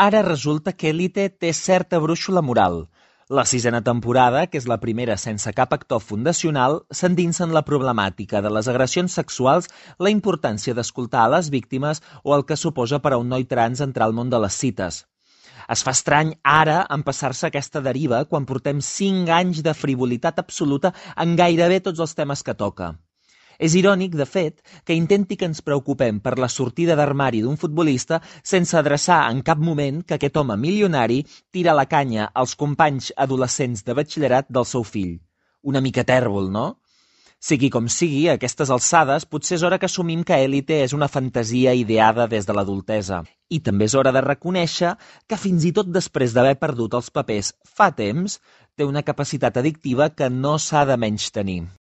Ara resulta que Élite té certa brúixola moral. La 6a temporada, que és la primera sense cap actor fundacional, s'endinsa en la problemàtica de les agressions sexuals, la importància d'escoltar a les víctimes o el que suposa per a un noi trans entrar al món de les cites. Es fa estrany ara empassar-se aquesta deriva quan portem 5 anys de frivolitat absoluta en gairebé tots els temes que toca. És irònic, de fet, que intenti que ens preocupem per la sortida d'armari d'un futbolista sense adreçar en cap moment que aquest home milionari tira la canya als companys adolescents de batxillerat del seu fill. Una mica tèrbol, no? Sigui com sigui, a aquestes alçades potser és hora que assumim que Élite és una fantasia ideada des de l'adultesa. I també és hora de reconèixer que fins i tot després d'haver perdut els papers fa temps, té una capacitat addictiva que no s'ha de menystenir.